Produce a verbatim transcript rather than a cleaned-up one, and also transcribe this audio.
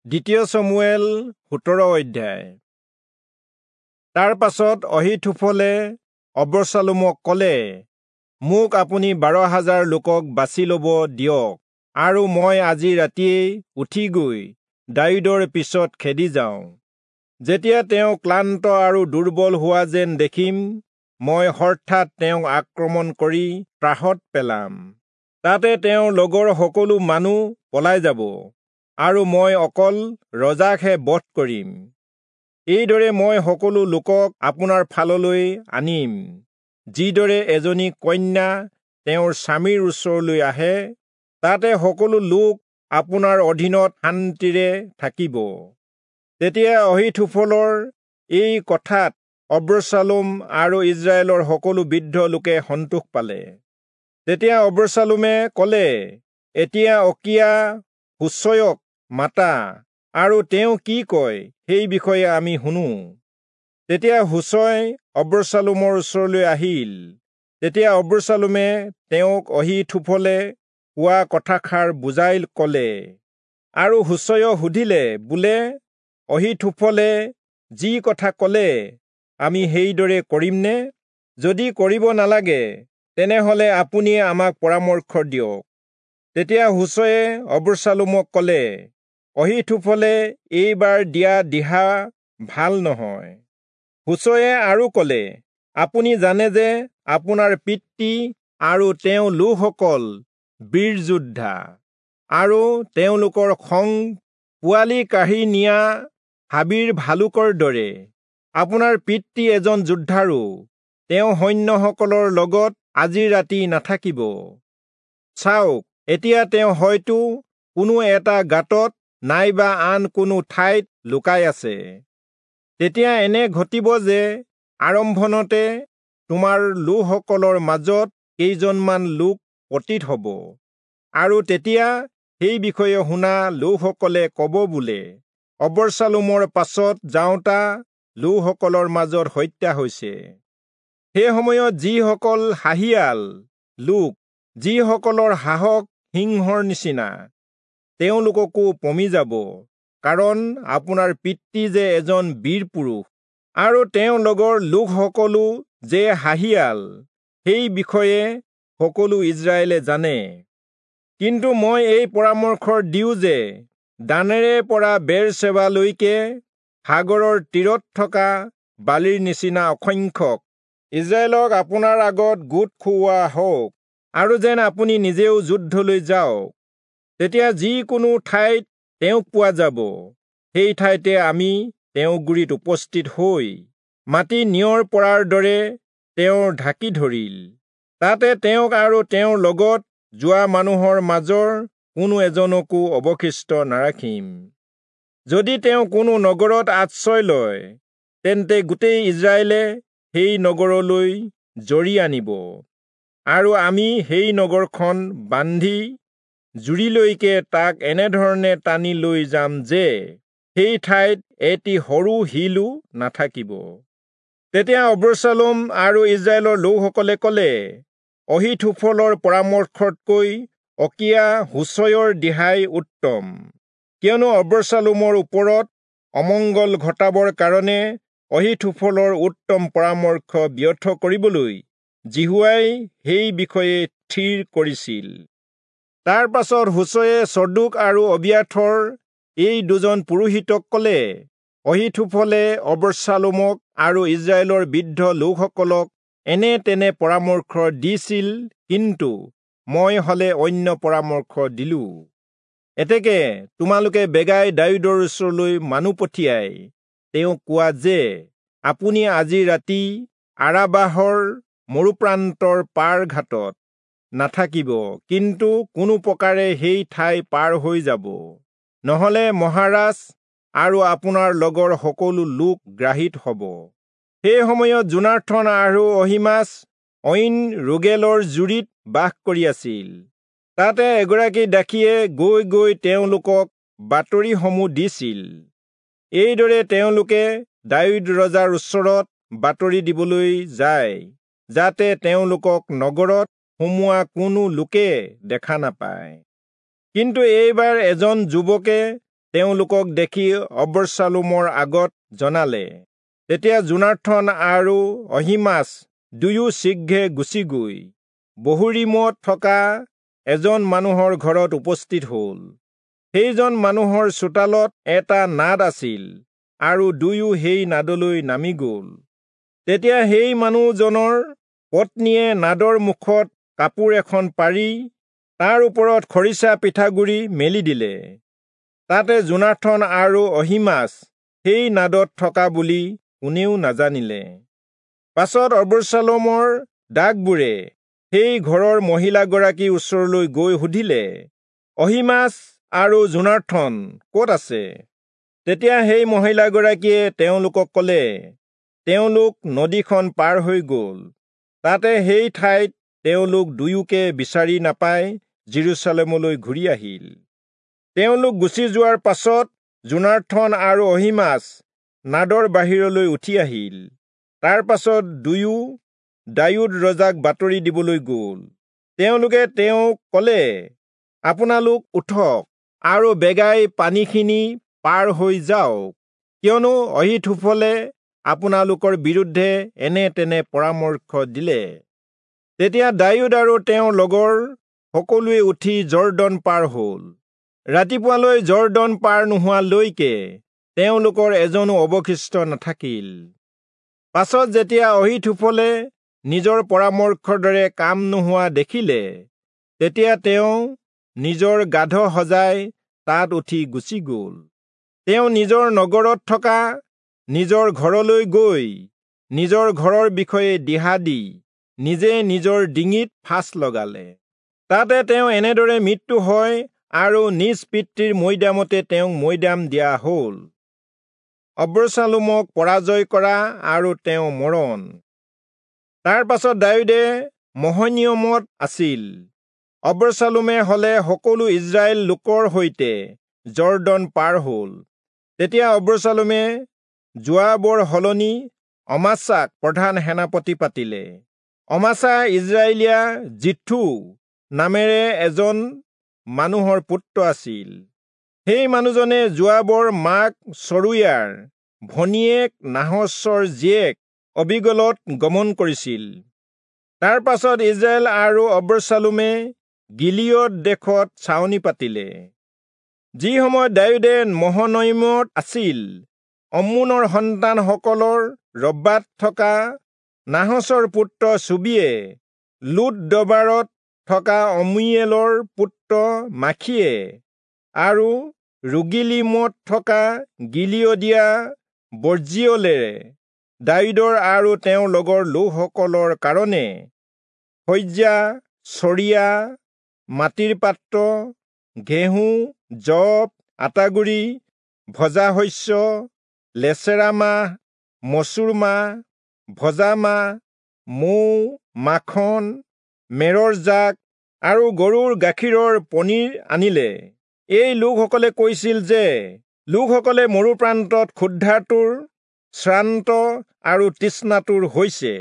দ্বিতীয় চমূৱেল সোতৰ অধ্যায়। তাৰ পাছত অহীথোফলে অবচালোমক কলে, মোক আপুনি বাৰ হাজাৰ লোকক বাছি লব দিয়ক, আৰু মই আজি ৰাতিয়েই উঠি গৈ দায়ূদৰ পিছত খেদি যাওঁ। যেতিয়া তেওঁ ক্লান্ত আৰু দুৰ্বল হোৱা যেন দেখিম, মই হঠাৎ তেওঁক আক্ৰমণ কৰি ত্ৰাসত পেলাম। তাতে তেওঁৰ লগৰ সকলো মানুহ পলাই যাব, আৰু মই অকল ৰজাকহে বধ কৰিম। এইদৰে মই সকলো লোকক আপোনাৰ ফাললৈ আনিম। যিদৰে এজনী কন্যা তেওঁৰ স্বামীৰ ওচৰলৈ আহে, তাতে সকলো লোক আপোনাৰ অধীনত শান্তিৰে থাকিব। তেতিয়া অহীথোফলৰ এই কথাত অবচালোম আৰু ইস্ৰায়েলৰ সকলো বৃদ্ধ লোকে সন্তোষ পালে। তেতিয়া অবচালোমে কলে, এতিয়া অকীয়া হুচয়ক মাতা, আৰু তেওঁ কি কয় সেই বিষয়ে আমি শুনো। তেতিয়া হুচয় অবচালোমৰ ওচৰলৈ আহিল। তেতিয়া অবচালোমে তেওঁক অহীথোফলে কোৱা কথাষাৰ বুজাই কলে। আৰু হুচয়ে সুধিলে, বোলে, অহীথোফলে যি কথা কলে আমি সেইদৰে কৰিমনে? যদি কৰিব নালাগে, তেনেহলে আপুনিয়ে আমাক পৰামৰ্শ দিয়ক। তেতিয়া হুচয়ে অবচালোমক কলে, অহীথোফলে এইবাৰ দিয়া দিহা ভাল নহয়। হুচয়ে আৰু কলে, আপুনি জানে যে আপোনাৰ পিতৃ আৰু তেওঁ লোকসকল বীৰ যোদ্ধা, আৰু তেওঁলোকৰ খং পোৱালি কাঢ়ি নিয়া হাবিৰ ভালুকৰ দৰে। আপোনাৰ পিতৃ এজন যোদ্ধাৰো, তেওঁ সৈন্যসকলৰ লগত আজি ৰাতি নাথাকিব। চাওক, এতিয়া তেওঁ হয়তো কোনো এটা গাঁতত নাইবা আন কোনো ঠাইত লুকাই আছে। তেতিয়া এনে ঘটিব যে আৰম্ভণতে তোমাৰ লোকসকলৰ মাজত কেইজনমান লোক পতিত হব, আৰু তেতিয়া সেই বিষয়ে শুনা লোকসকলে কব, বোলে, অবচালোমৰ পাছত যাওঁতা লোকসকলৰ মাজত হত্যা হৈছে। সেই সময়ত যিসকল সাহিয়াল লোক, যিসকলৰ সাহস সিংহৰ নিচিনা, তেওঁলোককো পমি যাব, কাৰণ আপোনাৰ পিতৃ যে এজন বীৰ পুৰুষ, আৰু তেওঁৰ লগৰ লোকসকলো যে সাহিয়াল, সেই বিষয়ে সকলো ইস্ৰায়েলে জানে। কিন্তু মই এই পৰামৰ্শ দিওঁ যে দানেৰে পৰা বেৰচেবালৈকে সাগৰৰ তীৰত থকা বালিৰ নিচিনা অসংখ্যক ইস্ৰায়েলক আপোনাৰ আগত গোট খুওৱা হওক, আৰু যেন আপুনি নিজেও যুদ্ধলৈ যাওক। তেতিয়া যিকোনো ঠাইত তেওঁক পোৱা যাব, সেই ঠাইতে আমি তেওঁৰ গুৰিত উপস্থিত হৈ মাটি নিয়ৰ পৰাৰ দৰে তেওঁৰ ঢাকি ধৰিল। তাতে তেওঁক আৰু তেওঁৰ লগত যোৱা মানুহৰ মাজৰ কোনো এজনকো অৱশিষ্ট নাৰাখিম। যদি তেওঁ কোনো নগৰত আশ্ৰয় লয়, তেন্তে গোটেই ইস্ৰায়েলে সেই নগৰলৈ জৰি আনিব, আৰু আমি সেই নগৰখন বান্ধি জুৰিলৈকে তাক এনেধৰণে টানি লৈ যাম যে সেই ঠাইত এটি সৰু শিলো নাথাকিব। তেতিয়া অবচালোম আৰু ইস্ৰায়েলৰ লোকসকলে কলে, অহীথোফলৰ পৰামৰ্শতকৈ অকীয়া হুচয়ৰ দিহাই উত্তম, কিয়নো অবচালোমৰ ওপৰত অমংগল ঘটাবৰ কাৰণে অহীথোফলৰ উত্তম পৰামৰ্শ ব্যৰ্থ কৰিবলৈ যিহোৱাই সেই বিষয়ে থিৰ কৰিছিল। তাৰ পাছত হুচয়ে চদোক আৰু অবিয়াথৰ এই দুজন পুৰোহিতক কলে, অহীথোফলে অবচালোমক আৰু ইস্ৰায়েলৰ বৃদ্ধ লোকসকলক এনে তেনে পৰামৰ্শ দিছিল, কিন্তু মই হলে অন্য পৰামৰ্শ দিলো। এতেকে তোমালোকে বেগাই দায়ূদৰ ওচৰলৈ মানুহ পঠিয়াই তেওঁক কোৱা যে, আপুনি আজি ৰাতি আৰাবাহৰ মৰুপ্ৰান্তৰ পাৰ ঘাটত নাথাকিব, কিন্তু কোনো প্ৰকাৰে সেই ঠাই পাৰ হৈ যাব, নহলে মহাৰাজ আৰু আপোনাৰ লগৰ সকলো লোক গ্ৰাহিত হব। সেই সময়ত যোনাথন আৰু অহীমাচ ঐন ৰোগেলৰ জুৰিত বাস কৰি আছিল। তাতে এগৰাকী দাসীয়ে গৈ গৈ তেওঁলোকক বাতৰিসমূহ দিছিল। এইদৰে তেওঁলোকে দায়ূদ ৰজাৰ ওচৰত বাতৰি দিবলৈ যায়, যাতে তেওঁলোকক নগৰত সোমোৱা কোনো লোকে দেখা নাপায়। কিন্তু এইবাৰ এজন যুৱকে তেওঁলোকক দেখি অবচালোমৰ আগত জনালে। তেতিয়া যোনাথন আৰু অহীমাচ দুয়ো শীঘ্ৰে গুচি গৈ বহূৰীমত থকা এজন মানুহৰ ঘৰত উপস্থিত হ'ল। সেইজন মানুহৰ চোতালত এটা নাদ আছিল আৰু দুয়ো সেই নাদলৈ নামি গ'ল। তেতিয়া সেই মানুহজনৰ পত্নীয়ে নাদৰ মুখত কাপোৰ এখন পাৰি তাৰ ওপৰত খৰিচা পিঠাগুড়ি মেলি দিলে। তাতে যোনাথন আৰু অহীমাচ সেই নাদত থকা বুলি কোনেও নাজানিলে। পাছত অবচালোমৰ দাসবোৰে সেই ঘৰৰ মহিলাগৰাকীৰ ওচৰলৈ গৈ সুধিলে, অহীমাচ আৰু যোনাথন ক'ত আছে? তেতিয়া সেই মহিলাগৰাকীয়ে তেওঁলোকক ক'লে, তেওঁলোক নদীখন পাৰ হৈ গ'ল। তাতে সেই ঠাইত তেওঁলোক দুয়োকে বিচাৰি নাপাই যিৰূচালেমলৈ ঘূৰি আহিল। তেওঁলোক গুচি যোৱাৰ পাছত যোনাথন আৰু অহীমাচ নাদৰ বাহিৰলৈ উঠি আহিল। তাৰ পাছত দুয়ো দায়ূদ ৰজাক বাতৰি দিবলৈ গ'ল। তেওঁলোকে তেওঁক ক'লে, আপোনালোক উঠক আৰু বেগাই পানীখিনি পাৰ হৈ যাওক, কিয়নো অহীথোফলে আপোনালোকৰ বিৰুদ্ধে এনে তেনে পৰামৰ্শ দিলে। তেতিয়া দায়ূদ আৰু তেওঁৰ লগৰ সকলোৱে উঠি যৰ্দন পাৰ হ'ল। ৰাতিপুৱালৈ যৰ্দন পাৰ নোহোৱালৈকে তেওঁলোকৰ এজনো অৱশিষ্ট নাথাকিল। পাছত যেতিয়া অহীথোফলে নিজৰ পৰামৰ্শৰ দৰে কাম নোহোৱা দেখিলে, তেতিয়া তেওঁ নিজৰ গাধ সজাই তাত উঠি গুচি গ'ল। তেওঁ নিজৰ নগৰত থকা নিজৰ ঘৰলৈ গৈ নিজৰ ঘৰৰ বিষয়ে দিহা দি নিজে নিজৰ ডিঙিত ফাঁচ লগালে। তাতে তেওঁ এনেদৰে মৃত্যু হয় আৰু নিজ পিতৃৰ মৈদামতে তেওঁক মৈদাম দিয়া হ'ল। অবচালোমক পৰাজয় কৰা আৰু তেওঁ মৰণ। তাৰ পাছত দায়ূদে মহনিয়মত আছিল। অবচালোমে হলে সকলো ইস্ৰায়েল লোকৰ সৈতে যৰ্দন পাৰ হ'ল। তেতিয়া অবচালোমে যোৱাবৰ সলনি অমাচাক প্ৰধান সেনাপতি পাতিলে। অমাচা ইস্ৰায়েলীয়া জিথু নামেৰে এজন মানুহৰ পুত্ৰ আছিল। সেই মানুহজনে যোৱাবৰ মাক চৰুয়াৰ ভনীয়েক নাহচৰ জীয়েক অবীগলত গমন কৰিছিল। তাৰ পাছত ইস্ৰায়েল আৰু অবচালোমে গিলিয়দ দেশত ছাউনি পাতিলে। যি সময়ত দায়ূদে মহনয়িমত আছিল, অম্মোনৰ সন্তানসকলৰ ৰব্বাত থকা নাহচৰ পুত্ৰ চোবীয়ে, লোদবাৰত থকা অম্মীয়েলৰ পুত্ৰ মাখীয়ে আৰু ৰোগিলীমত থকা গিলিয়দীয়া বৰ্জিয়লেৰে দায়ূদৰ আৰু তেওঁৰ লগৰ লোকসকলৰ কাৰণে শয্যা, চৰিয়া, মাটিৰ পাত্ৰ, ঘেঁহু, যৱ, আটাগুড়ি, ভজা শস্য, লেচেৰা মাহ, মচুৰ মাহ, ভজা মাহ, মৌ, মাখন, মেৰৰ জাক আৰু গৰুৰ গাখীৰৰ পনীৰ আনিলে। এই লোকসকলে কৈছিল যে লোকসকলে মৰুপ্ৰান্তত ক্ষুধাতুৰ, শ্ৰান্ত আৰু তৃষ্ণাতুৰ হৈছে।